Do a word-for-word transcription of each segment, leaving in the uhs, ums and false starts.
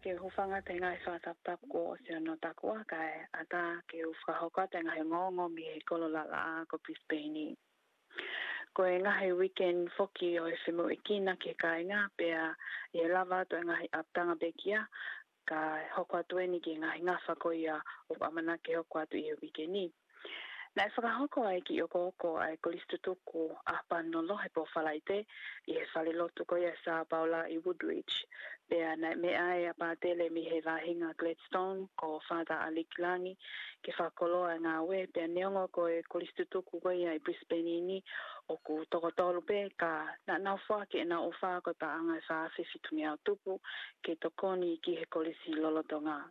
Ke u hūfanga atu he ngaahi fakataputapu kuo ʻosi hono takua kae ʻatā ke u fakahoko atu e ngaahi ongoongo mei he kolo lalaʻā ko Brisbane. Ko e ngaahi weekend foki ʻo e femoʻuekina ki he kāinga pea ʻe lava atu e ngaahi ʻapitanga pekia, kae hoko atu eni ki he ngaahi ngafa ko ia ʻoku ʻamanaki ke hoko atu ʻi he weekend ni. Naʻe fakahoko ai ki ʻOkoʻoko ʻa e kolisi tutuku ʻa Panololo he pō Falaite ʻi he falelotu ko ia Sā Paula ʻi Woodridge. Pea naʻe meʻa ai ʻa e pātele mei he vahevahe Gladstone ko Father Alec Langi ke fakakoloa e ngāue, pea neongo ko e kolisi tutuku ko ia ʻi Brisbane ni ʻoku toko tolu pē, ka naʻa nau foaki ʻenau ʻofa ko e paʻanga ʻe fā afe fitungeau tupu ke tokoni ki he kolisi lolotonga.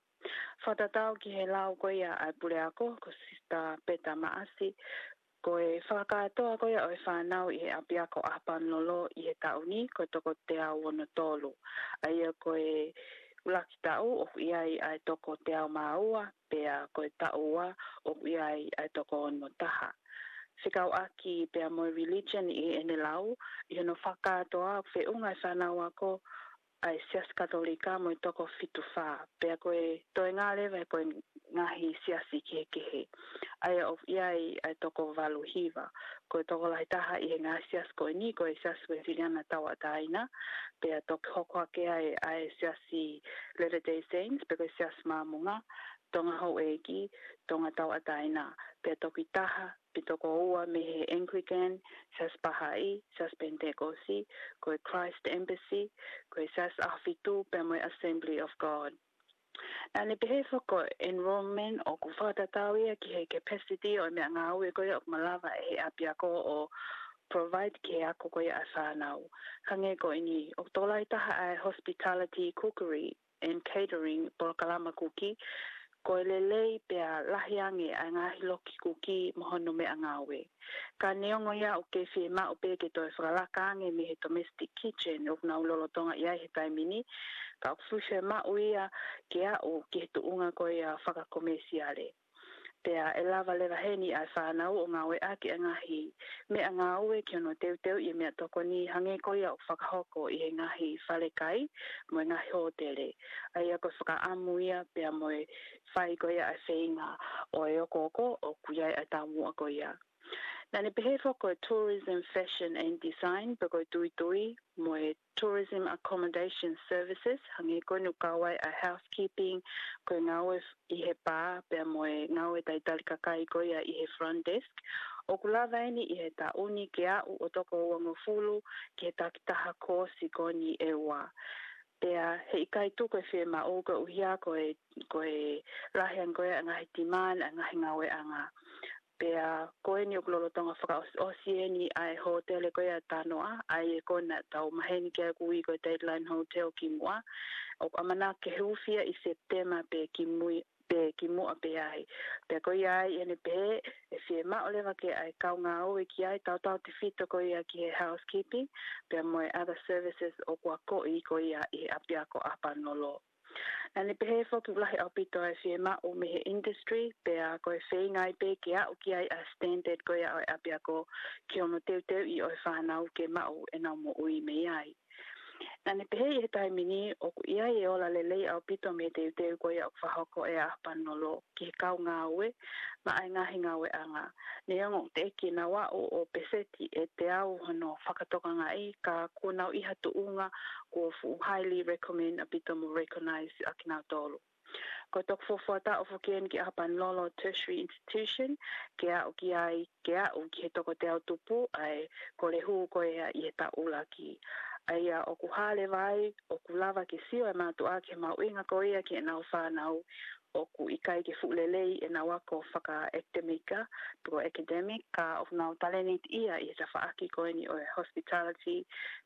Fakatatau ki he lau ko ia ʻa e puleako ko Sister Peta Maʻasi, ko e fakakātoa ko ia ʻo e fānau ʻi he ʻapiako ʻa Panololo ʻi he taʻu ni ko e toko teau ono tolu. ʻA ia ko e ʻuluaki taʻu ʻoku ʻi ai ʻa e toko teau mā ua, pea ko e taʻu ua ʻoku ʻi ai ʻa e toko ono taha. Fekauʻaki pea mo e religion ʻi heʻene lau, ʻi hono fakakātoa ʻoku feʻunga e fānau ako ʻa e Siasi Katolika mo e toko fitu fā. Pea ko e toenga leva ko e ngaahi siasi kehekehe. ʻA ia ʻoku ʻi ai ʻa e toko valu hiva. Ko e tokolahi taha ʻi he ngaahi siasi ko eni ko e Siasi Uēsiliana Tauʻatāina, pea toki hoko hake ai ʻa e Siasi Latter-day Saints, pe ko e Siasi Māmonga, Tonga Houʻeiki, Tonga Tauʻatāina, pea toki taha pe toko ua mei he Anglican, Siasi Pahaʻi, Siasi Penitekosi, ko e Christ Embassy, ko e Siasi ʻAhofitu, pea mo e Assembly of God. Naʻa ne pehē foki ko e enrollment ʻoku fakatatau ia ki he capacity ʻo e meʻangāue ko ia ʻoku malava ʻe he ʻapiako ʻo provide ki he ako ko ia ʻa e fānau. Hangē ko eni, ʻoku tokolahi taha ʻa e hospitality, cookery and catering, polokalama kuki, ko e lelei pea lahi ange ʻa e ngaahi loki kuki mo hono meʻangāue. Ka neongo ia ʻoku kei fiemaʻu pē ke toe fakalaka ange mei he domestic kitchen ʻoku nau lolotonga ʻi ai he taimi ni, ka ʻoku fuʻu fiemaʻu ia ke aʻu ki he tuʻunga ko ia fakakomesiale. Pea ʻe lava leva heni ʻa e fānau ʻo ngāueʻaki ʻa e ngaahi meʻangāue ki hono teuteuʻi e meʻatokoni hangē ko ia ʻoku fakahoko ʻi he ngaahi falekai mo e ngaahi hōtele. ʻA ia ko e fakaʻamu ia pea mo e fai ko ia ʻa e feinga ʻo e ʻOkoʻoko ʻoku ʻi ai ʻa e taumuʻa ko ia. Naʻa ne pehē foki ko e tourism, fashion and design, pe ko e tuitui, mo e tourism accommodation services, hangē ko eni ʻoku kau ai ʻa e housekeeping, ko e ngāue ʻi he pā, pea mo e ngāue talitali kakai ko ia ʻi he front desk. ʻOku lava eni ʻi he taʻu ni ke aʻu ʻo toko uangofulu ki he takitaha koosi ko eni ʻe ua. Pea heʻikai tuku e fiemaʻu koeʻuhi ko e, ko e lahi ange ko ia ʻa e ngaahi demand ʻa e ngaahi ngāueʻanga. Pea ko eni ʻoku lolotonga fakaʻosiʻosi eni ʻa e hōtele ko ia Tanoa, ʻa ia ko ena tau maheni ki ai ʻoku ui ko e Dateline Hotel kimuʻa. ʻOku ʻamanaki ke huufi ia ʻi Sepitema pe kimui, pe kimuʻa pē ai. Pea ko ia ai ʻene pehē, ʻe fiemaʻu leva ke ʻai kau ngāue ki ai tautautefito ko ia ki he housekeeping, pea mo e other services ʻoku akoʻi ko ia ʻi he ʻapiako ʻa Panololo. Naʻa ne pehē foki ʻoku lahi ʻaupito ʻa e fiemaʻu mei he industry, pea ko e feinga ai pē ke aʻu ki ai ʻa e standard ko ia ʻo e ʻapiako ki hono teuteuʻi ʻo e fānau ke maʻu ʻenau moʻui mei ai. Naʻa ne pehē ʻi he taimi ni ʻoku ʻi ai e ola lelei ʻaupito mei he teuteu ko ia ʻoku fakahoko ʻe ʻa Panololo ki he kau ngāue, maʻa e ngaahi ngāueʻanga. Neongo ʻoku teʻeki ke nau aʻu ʻo peseti ʻe teau hono fakatokangaʻi, ka kuo nau ʻi ha tuʻunga kuo fuʻu highly recommend ʻaupito mo recognize ʻa kinautolu. Ko e toko fuofua taʻu foki eni ki ʻa Panololo Tertiary Institution, ke aʻu ki ai, ke aʻu ki he toko teau tupu, ʻa e kole hū ko ia ʻi he taʻu ʻuluaki. ʻA ia ʻoku hā leva ai, ʻoku lava ke sio e mātuʻa ki he mahuʻinga ko ia ki heʻenau fānau, ʻoku ʻikai ke fuʻu lelei ʻenau ako fakaʻekitemika, pe ko e academic, ka ʻoku nau talēnitiʻia ʻi he tafaʻaki ko eni ʻo e hospitality,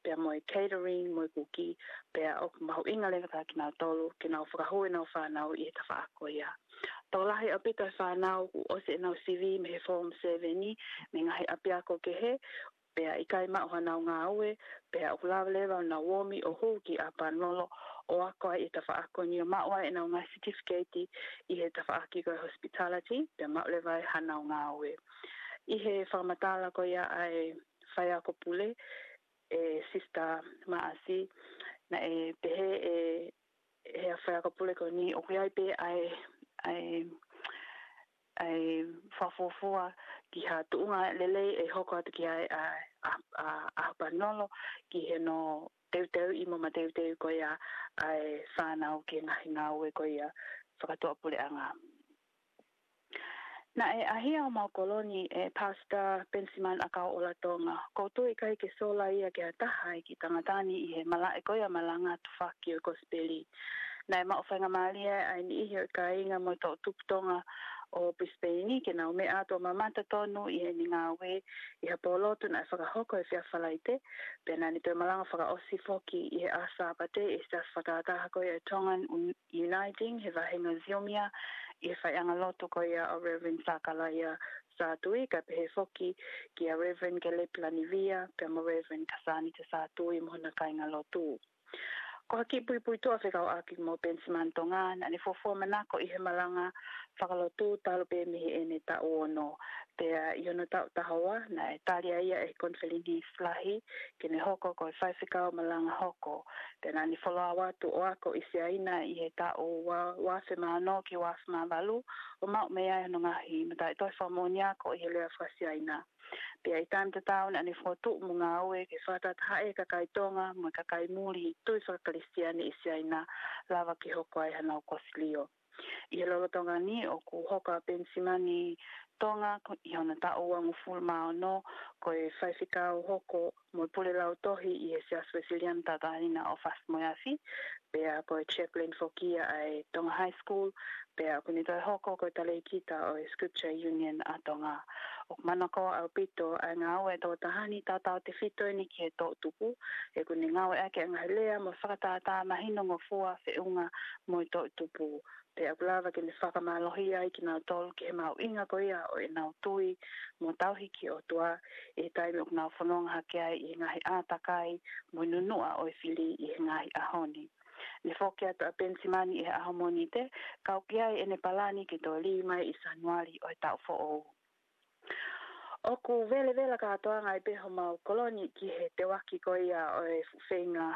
pea mo e catering, mo e kuki, pea ʻoku mahuʻinga leva kia kinautolu ke nau fakahū ʻenau fānau ʻi he tafaʻaki ko ia. Tokolahi ʻaupito e fānau kuo ʻosi ʻenau sivi mei he Form Seven ni, mei he ngaahi ʻapiako kehe, pea ʻikai maʻu haʻanau ngāue, pea ʻoku lava leva ʻo nau ō mai ʻo hū ki ʻa Panololo ʻo ako ai ʻi he tafaʻaki ko eni ʻo maʻu ai ʻenau ngaahi certificate ʻi he tafaʻaki ko e hospitality, pea maʻu leva ai haʻanau ngāue. ʻI he fakamatala ko ia ʻa e faiako pule, ʻe Sister Maʻasi, naʻe pehē ʻe he ʻafioʻanga pule ko eni ʻoku ʻi ai pē ʻa e, ʻa e, ʻa e fakafuofua ki ha tuʻunga lelei ʻe hoko atu ki ai ʻa e, ʻa, ʻa, ʻa Panolo ki hono teuteuʻi mo mateuteu ko ia ʻa e fānau ki he ngaahi ngāue ko ia fakatuʻapuleʻanga. Naʻe ʻahia homau kolo ni ʻe Pastor Benjamin ʻAkau ʻOlatonga. ʻOku ou tui ʻikai ke sola ia ki ha taha ʻi he kiʻi tangata ni ʻi he malaʻe ko ia malanga tufaki ʻo e kosipeli. Naʻe maʻu faingamālie ʻa e niʻihi ʻo e kāinga mo e toʻutupu Tonga ʻo Brisbane ke nau meʻa atu ʻo mamata tonu ʻi heʻene ngāue ʻi ha pōlotu naʻe fakahoko he efiafi Falaite, pea naʻa ne toe malanga fakaʻosi foki ʻi he ʻaho Sāpate ʻi he siasi fakatātā ko ia ʻa e Tongan Un-, Uniting he vāhenga Ziomia ʻi he faiʻanga lotu ko ia ʻo Reverend Sakalaia Sātui, kae pehē foki kia Reverend Caleb Lanivia, pea mo Reverend Kasanita Sātui mo hona kāinga lotu. Ko ha kiʻi puipuituʻa fekauʻaki mo Benjamin Tonga, naʻa ne fuofua manako ʻi he malanga fakalotu talu pē mei heʻene taʻu ono. Pea ʻi hono taʻu taha ua, naʻe tali ai ia ʻe he konifelenisi lahi ke ne hoko ko e faifekau malanga hoko. Pea naʻa ne follow atu ʻo ako ʻi Siaina ʻi he taʻu ua, ua afe mā ono ki he ua afe mā valu, ʻo maʻu mei ai hono ngaahi mataʻitohi fakamoʻoni ako ʻi he lea faka-Siaina. Pea ʻi he taimi tatau naʻa ne fokotuʻu mo ngāue ke fakatahatahaʻi e kakai Tonga mo e kakai muli tui faka-Kalisitiane ʻi Siaina, lava ke hoko ai hanau kosilio. ʻI he lolotonga ni ʻoku hoko ʻa Penisimani Tonga ko, ʻi hono taʻu uangofulu mā ono, ko e faifekau hoko mo e pule lautohi ʻi he Siasi Uēsiliana Tauʻatāina ʻo Fasi mo e Afi, pea ko e chaplain foki ia ʻa e Tonga High School, pea ʻoku ne toe hoko ko e talēkita ʻo e Scripture Union ʻa Tonga. ʻOku manakoa ʻaupito ʻa e ngāue ʻa e tokotaha ni, tautautefito eni ki he toʻutupu, he ʻoku ne ngāueʻaki ʻa e ngaahi lea mo e fakatātā mahinongofua feʻunga mo e toʻutupu. Pea ʻoku lava ke ne fakamālohia ai kinautolu ki he mahuʻinga ko ia ʻo ʻenau tui mo tauhi ki he ʻOtua, ʻi he taimi ʻoku nau fononga hake ai ʻi he ngaahi ʻātakai mo e nunuʻa ʻo e fili ʻi he ngaahi ʻaho ni. Ne foki atu ʻa Penisimani ʻi he ʻaho Mōnite, kau ki ai ʻene palani ke toe lī mai ʻi Sānuali ʻo e taʻu foʻou. ʻOku velevela kātoanga ai pē homau kolo ni ki he teuaki ko ia ʻo e fuʻu feinga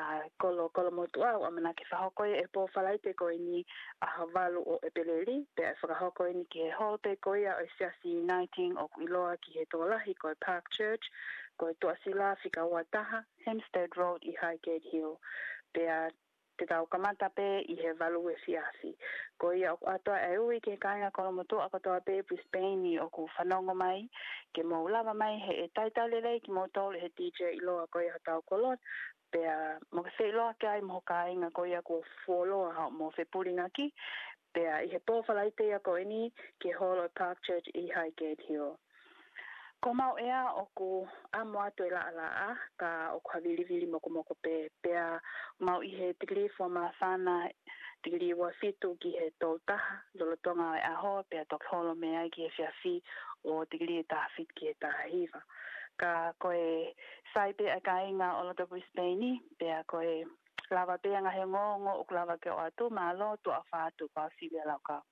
ʻa e kolo, kolo motuʻa, ʻoku ʻamanaki fakahoko ia ʻi he pō Falaite ko eni, ʻaho valu ʻo ʻEpeleli, pea ʻe fakahoko eni ki he hall pē ko ia ʻo e Siasi Uniting ʻoku ʻiloa ki he tokolahi ko e Park Church, ko e Tuʻasila fika ua taha, Hempstead Road ʻi Highgate Hill. Pea te tau kamata pē ʻi he valu efiafi. Ko ia ʻoku ʻoatu ʻa e ui ki he kāinga kolo motuʻa kotoa pē ʻi Brisbane ʻoku fanongo mai, ke mou lava mai he ʻe taitau lelei kimoutolu ʻe he DJ ʻiloa ko ia hotau kolo, pea mou ke feʻiloaki ai mo ho kāinga ko ia kuo fuoloa hoʻomou fepulingaki, pea ʻi he pō Falaite ia ko eni ki he holo Park Church ʻi Highgate Hill. Ko homau ʻea ʻoku ʻamo atu e laʻalaʻā, ka ʻoku havilivili mokomoko pē, pea mau ʻi he tikilī fua māfana, tikilī ua fitu ki he tolu taha, lolotonga ʻo e ʻaho, pea toki holo mei ai ki he efiafi ʻo tikilī ʻe taha fitu ki he taha hiva. Ka ko e sai pē ʻa e kāinga ʻo loto Brisbane, pea ko e lava pē ʻa e ngaahi ongoongo ʻoku lava ke ʻoatu, mālō, tuʻa ʻofa atu, kau Sylvia Laukau.